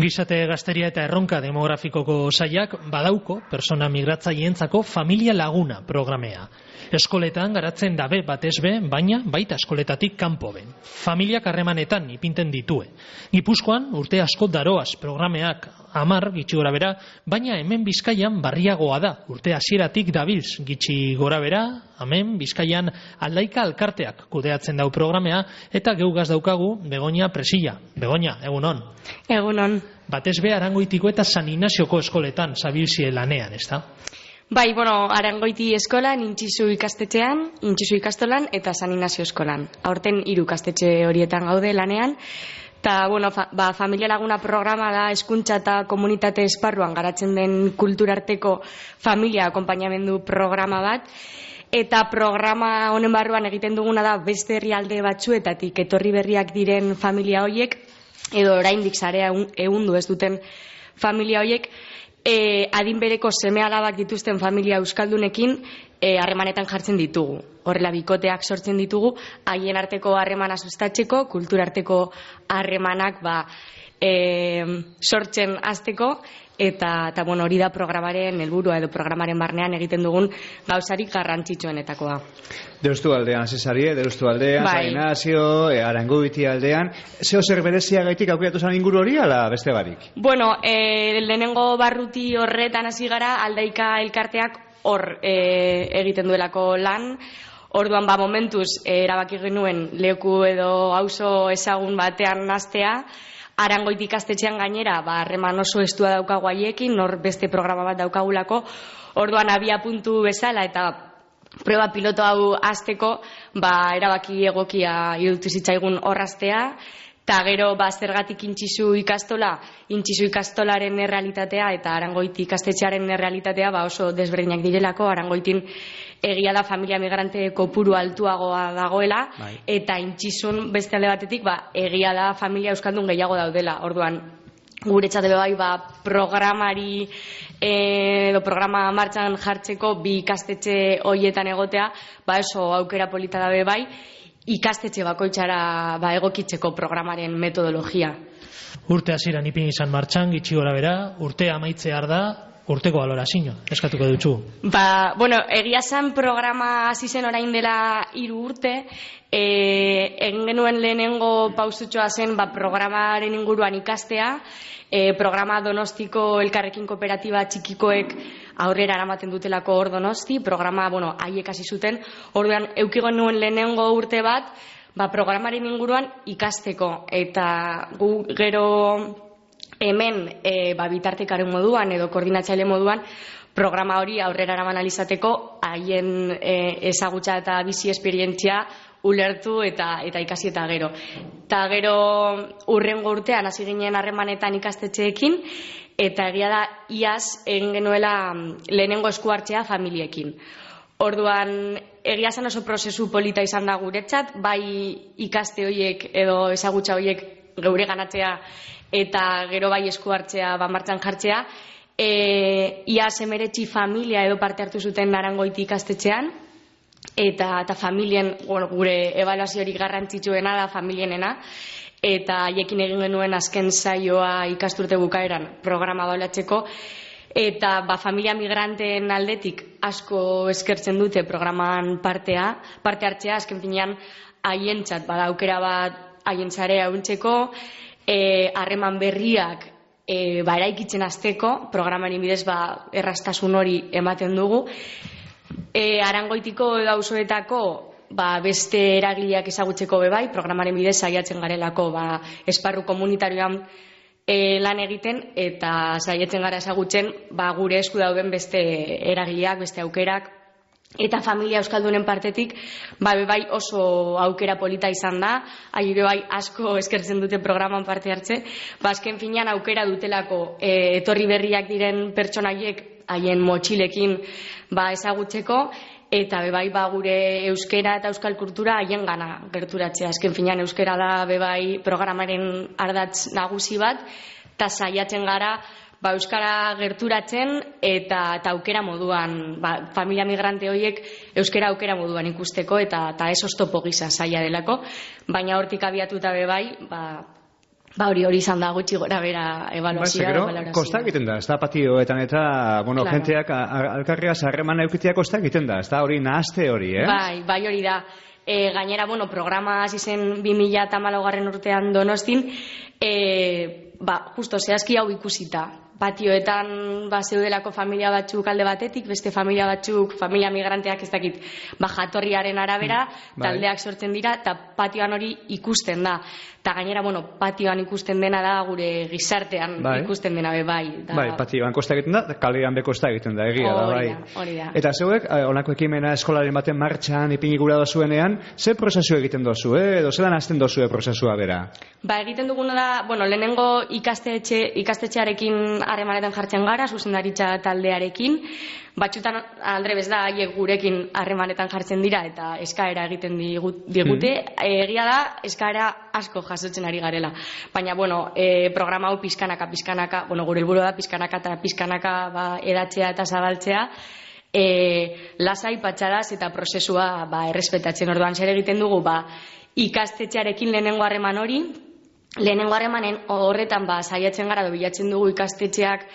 Ongizate gazteria eta erronka demografikoko sailak badauko persona migratzaileentzako familia laguna programea. Eskoletan garatzen dabe batez be, baina baita eskoletatik kanpo ben. Familiak harremanetan ipinten ditue. Gipuzkoan urte asko daroaz programeak 10 gitxi gora bera, baina hemen Bizkaian barriagoa da. Urte hasieratik dabilz gitxi gora bera, hemen Bizkaian Aldaika Alkarteak kudeatzen dau programea eta geugaz daukagu Begoña Presilla. Begoña, egunon. Egunon. Batez be Arangoitiko eta San Ignazioko eskoletan zabilzie lanean, ezta? Bai, Arangoiti eskolan, Intxizu ikastetxean, Intxizu ikastolan eta San Ignazio eskolan. Aurten 3 ikastetxe horietan gaude lanean. Eta, familia laguna programa da hezkuntza eta komunitate esparruan garatzen den kulturarteko familia akonpainamendu programa bat. Eta programa honen barruan egiten duguna da beste herrialde batzuetatik etorri berriak diren familia hoiek, edo oraindik sarea ehundu ez duten familia hoiek, adin bereko seme-alabak dituzten familia euskaldunekin harremanetan jartzen ditugu. Horrela bikoteak sortzen ditugu, haien arteko harremana sustatzeko, kulturarteko harremanak sortzen hasteko, eta hori da programaren helburua edo programaren barnean egiten dugun gauzarik garrantzitsuenetakoa. Deustu aldean, Cesarie, Deustu aldean, San Ignacio, Arangoiti aldean. Zer berezia gaitik aukeratu zan inguru hori, ala beste barik? Lehenengo barruti horretan hasi gara, Aldaika Elkarteak hor egiten duelako lan. Orduan momentuz erabaki genuen leku edo auzo ezagun batean hastea. Arangoiti ikastetxean gainera, harreman oso estua daukagu haiekin, nor beste programa bat daukagulako. Orduan abia puntu bezala eta proba piloto hau hasteko, erabaki egokia iruditu zitzaigun horraztea. Eta gero, zergatik Intxizu ikastolaren errealitatea eta Arangoiti ikastetxearen errealitatea oso desberdinak direlako. Arangoitin egia da familia migrante kopuru altuagoa dagoela, eta Intxizun beste alde batetik egia da familia euskaldun gehiago daudela. Orduan, guretzat programari edo programa martxan jartzeko 2 ikastetxe horietan egotea, oso aukera polita dabe ikastetxe bakoitzara egokitzeko programaren metodologia. Urte hasieran ipini izan martxan, gitxi gora bera, urte amaitzear da, urteko balorazio, eskatuko dutzu. Egia zan programa hasi zen orain dela 3 urte, egin genuen lehenengo pausutxoa zen programaren inguruan ikastea, programa Donostiko Elkarrekin Kooperatiba txikikoek aurrera eramaten dutelako hor Donosti, programa haiek hasi zuten, orduan eukigo nuen lehenengo urte bat, programaren inguruan ikasteko, eta gu gero hemen bitartekaren moduan edo koordinatzaile moduan programa hori aurrera eraman alizateko haien ezagutza eta bizi esperientzia ulertu eta ikasi eta gero. Eta gero urrengo urtean hasi ginen harremanetan ikastetxeekin, eta egia da iaz egin genuela lehenengo esku hartzea familiekin. Orduan, egia zen oso prozesu polita izan da guretzat, bai ikaste horiek edo ezagutza horiek geure ganatzea eta gero bai esku hartzea martxan jartzea. Iaz 19 familia edo parte hartu zuten Arangoiti ikastetxean, eta familien, gure ebaluaziorik garrantzitsuena da familienena, eta haiekin egin genuen azken saioa ikasturte bukaeran programa ebaluatzeko, eta familia migranteen aldetik asko eskertzen dute programan parte hartzea, azken finean haientzat aukera bat haien sarea ehuntzeko, harreman berriak eraikitzen hasteko, programaren bidez erraztasun hori ematen dugu. Arangoitiko edo auzoetako beste eragileak ezagutzeko bebai, programaren bidez saiatzen garelako esparru komunitarioan lan egiten, eta saiatzen gara ezagutzen gure esku dauden beste eragileak, beste aukerak, eta familia euskaldunen partetik bai oso aukera polita izan da, bai asko eskertzen dute programan parte hartze, azken finean aukera dutelako etorri berriak diren pertsonaiek haien motxilekin ezagutzeko, eta bai gure euskera eta euskal kultura haien gana gerturatzea. Azken finean euskera da bai programaren ardatz nagusi bat, eta saiatzen gara euskara gerturatzen eta aukera moduan, familia migrante horiek euskara aukera moduan ikusteko, eta ez oztopo gisa saia delako, baina hortik abiatuta bai Hori izan da gutxi gora bera ebaluazioa. Kosta egiten da, ez da patioetan eta, jenteak alkarregaz harremana eukitea kosta egiten da, ez da hori nahazte hori, Bai, hori da. Gainera, programa hasi zen 2014 urtean Donostin, justo zehazki hau ikusita. Patioetan zeudelako familia batzuk alde batetik, beste familia batzuk, familia migranteak ez dakit, jatorriaren arabera, taldeak sortzen dira, eta patioan hori ikusten da. Eta gainera, patioan ikusten dena da gure gizartean ikusten dena bai. Bai, patioan kosta egiten da, kalean be kosta egiten da, egia da, bai. Hori da. Eta zeuek, honako ekimena eskolaren baten martxan, ipini gura dozuenean, ze prozesu egiten dozu, edo zelan hasten dozu prozesua bera? Egiten duguna da, lehenengo ikastetxearekin harremanetan jartzen gara, zuzendaritza taldearekin, batxutan aldrebez da, haiek gurekin harremanetan jartzen dira eta eskaera egiten digute, egia da, eskaera asko jasotzen ari garela. Baina, programa hau pizkanaka, gure helburua da pizkanaka edatzea eta zabaltzea, lasai, patxadaz eta prozesua errespetatzen. Orduan, zer egiten dugu, ikastetxearekin lehenengo harreman hori, lehenengo harremanen horretan saiatzen gara, bilatzen dugu ikastetxeak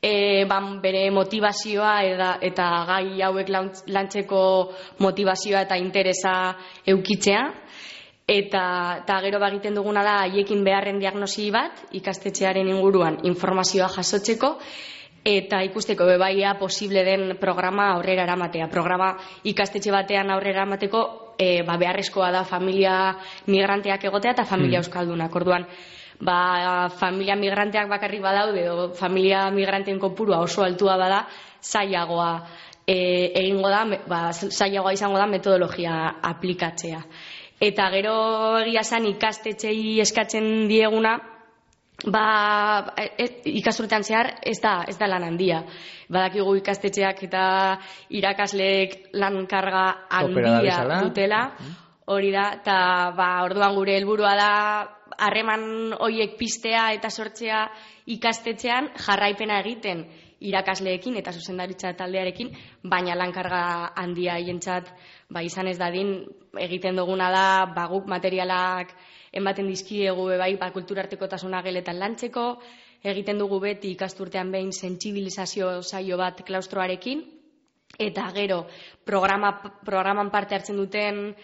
bere motivazioa eta gai hauek lantzeko motivazioa eta interesa eukitzea, eta gero egiten duguna da haiekin beharren diagnosi bat ikastetxearen inguruan informazioa jasotzeko eta ikusteko bebaia posible den programa aurrera eramatea. Programa ikastetxe batean aurrera eramateko beharrezkoa da familia migranteak egotea eta familia euskaldunak. Orduan, familia migranteak bakarrik badaude edo familia migranteen kopurua oso altua bada, zailagoa egingo da, zailagoa izango da metodologia aplikatzea. Eta gero egia zen ikastetxei eskatzen dieguna, ikasturtean zehar ez da lan handia. Badakigu ikastetxeak eta irakasleek lan karga handia dutela, hori da, eta orduan gure helburua da harreman horiek piztea eta sortzea ikastetxean jarraipena egiten irakasleekin eta zuzendaritza taldearekin, baina lankarga handia hientzat izan ez dadin egiten duguna da guk materialak ematen dizkiegu kulturartekotasuna geletan lantzeko, egiten dugu beti ikasturtean behin sentsibilizazio saio bat klaustroarekin, eta gero programan parte hartzen duten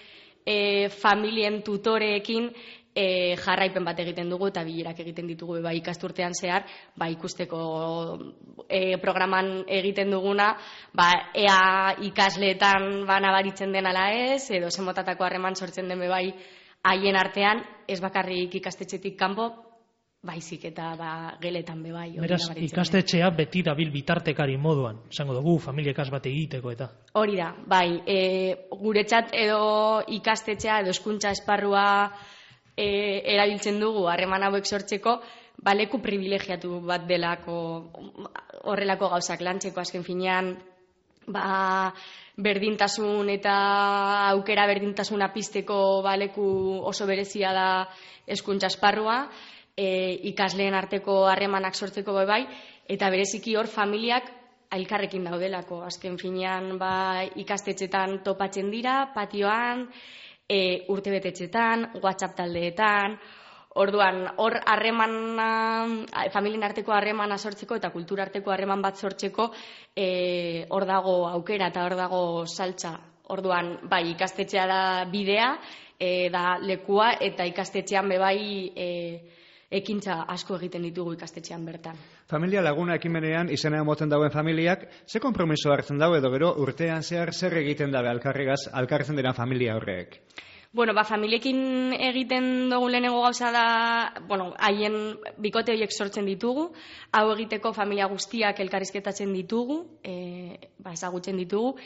familien tutoreekin jarraipen bat egiten dugu eta bilerak egiten ditugu ikasturtean zehar, ikusteko programan egiten duguna, ea ikasleetan nabaritzen den ala ez, edo zemotatako harreman sortzen den haien artean, ez bakarrik ikastetxetik kanpo, baizik eta geletan bai. Beraz, ikastetxea beti dabil bitartekari moduan, esango dugu, familiekas bat egiteko eta. Hori da, guretzat edo ikastetxea edo hezkuntza esparrua erabiltzen dugu harreman hauek sortzeko, leku privilegiatu bat delako horrelako gauzak lantzeko, azken finean, berdintasun eta aukera berdintasuna pizteko leku oso berezia da hezkuntza esparrua, ikasleen arteko harremanak sortzeko eta bereziki hor familiak elkarrekin daudelako. Azken finean ikastetxetan topatzen dira, patioan, urtebetetxetan, WhatsApp taldeetan. Orduan, hor familien arteko harremana sortzeko eta kultura arteko harreman bat sortzeko hor dago aukera eta hor dago saltza. Orduan, ikastetxea da bidea, da lekua, eta ikastetxean ekintza asko egiten ditugu ikastetxean bertan. Familia Laguna ekimenean izena emoten dauen familiak, ze konpromiso hartzen dago edo gero urtean zehar zer egiten dabe alkarrezen diren familia horrek? Familiekin egiten dugu lehenengo gauza da, haien bikote horiek sortzen ditugu, hau egiteko familia guztiak elkarrizketatzen ditugu, ezagutzen ditugu,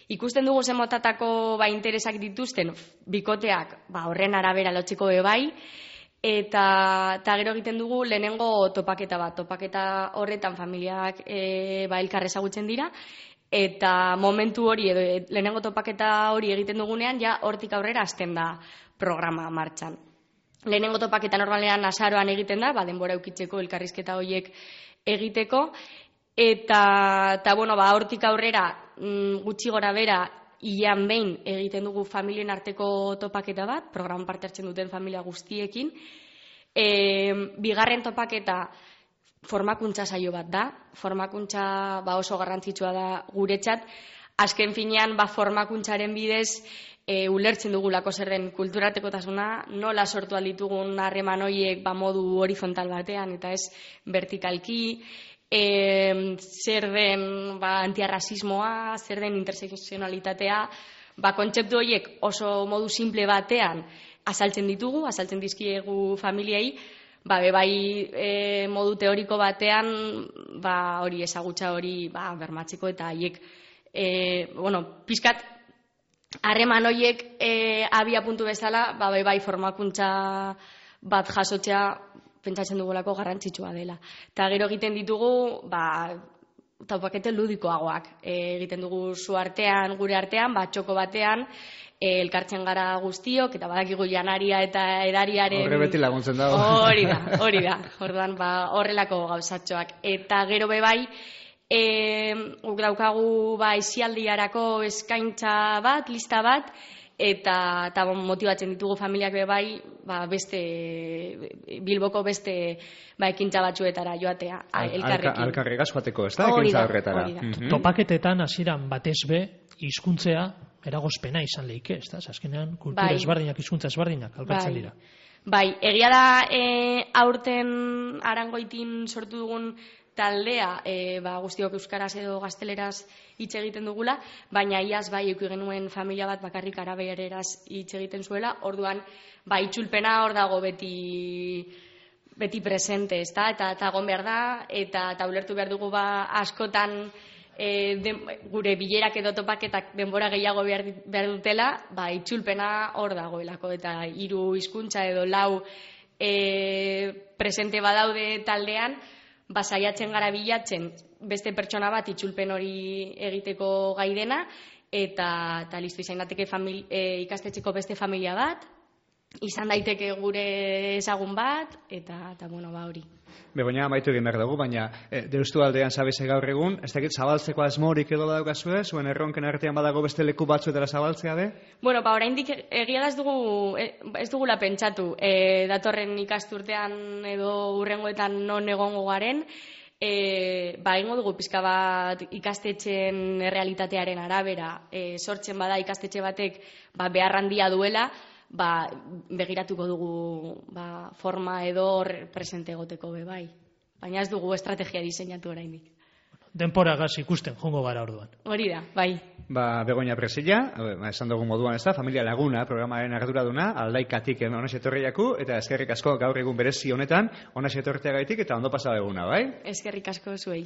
ikusten dugu zemotatako interesak dituzten bikoteak horren arabera lotzeko eta gero egiten dugu lehenengo topaketa bat, topaketa horretan familiak elkar ezagutzen dira, eta momentu hori edo lehenengo topaketa hori egiten dugunean hortik aurrera hasten da programa martxan. Lehenengo topaketa normalean azaroan egiten da, denbora eukitzeko elkarrizketa horiek egiteko, eta hortik aurrera gutxi gora bera hilean behin egiten dugu familien arteko topaketa bat, programan parte hartzen duten familia guztiekin, Bigarren topaketa formakuntza saio bat da. Formakuntza oso garrantzitsua da guretzat. Azken finean, formakuntzaren bidez, ulertzen dugulako zer den kulturartekotasuna, nola sortu alditugun harreman horiek modu horizontal batean, eta ez vertikalki, zer den antiarrazismoa, zer den intersekzionalitatea, kontzeptu horiek oso modu simple batean azaltzen ditugu, azaltzen dizkiegu familiei, bai modu teoriko batean hori ezagutza hori bermatzeko eta haiek pixkat harreman horiek abia puntu bezala, bai formakuntza bat jasotzea pentsatzen dugulako garrantzitsua dela. Eta gero egiten ditugu, topakete ludikoagoak. Egiten dugu zu artean, gure artean, txoko batean, elkartzen gara guztiok, eta badakigu janaria eta edariaren... Horre beti laguntzen dago. Hori da. Orduan, horrelako gauzatxoak. Eta gero bai, guk daukagu isialdiarako eskaintza bat, lista bat, eta motibatzen ditugu familiak bai, Bilboko beste ekintza batzuetara joatea, elkarrekin. Alkarregaz joateko, ez da, ekintza horretara. Topaketetan hasieran batez be, hizkuntzea eragozpena izan lehike, ez da? Azkenean, kultura ezberdinak, hizkuntza ezberdinak alkartzen dira. Bai, egia da aurten Arangoitin sortu dugun taldea, guztiok euskaraz edo gazteleraz hitz egiten dugula, baina iaz eduki genuen familia bat bakarrik arabereraz hitz egiten zuela, orduan itzulpena hor dago beti presente, ezta? Eta egon behar da, eta ulertu behar dugu askotan gure bilerak edo topaketak denbora gehiago behar dutela, itzulpena hor dagoelako, eta 3 hizkuntza edo 4 presente badaude taldean, saiatzen gara bilatzen beste pertsona bat itzulpen hori egiteko gai dena, eta listo, izan dateke ikastetxeko beste familia bat, izan daiteke gure ezagun bat, eta hori. Begoña, amaitu egin behar dugu, baina Deustu aldean zabeze gaur egun, ez dakit zabaltzeko asmorik edo badaukazue, zuen erronken artean badago beste leku batzuetara zabaltzea be? Oraindik egia da ez dugula pentsatu, datorren ikasturtean edo hurrengoetan non egongo garen, egingo dugu pixka bat ikastetxeen errealitatearen arabera, sortzen bada ikastetxe batek behar handia duela, begiratuko dugu forma edo presente egoteko bai. Baina ez dugu estrategia diseinatu oraindik. Denporagaz ikusten jongo gara orduan. Hori da, bai. Begoña Presilla, esan dugu moduan ez da, Familia Laguna programaren arduraduna, Aldaikatik onaxe etorriaku, eta eskerrik asko gaur egun berezi honetan, onaxe etorteagaitik eta ondo pasada eguna, bai? Eskerrik asko zuei.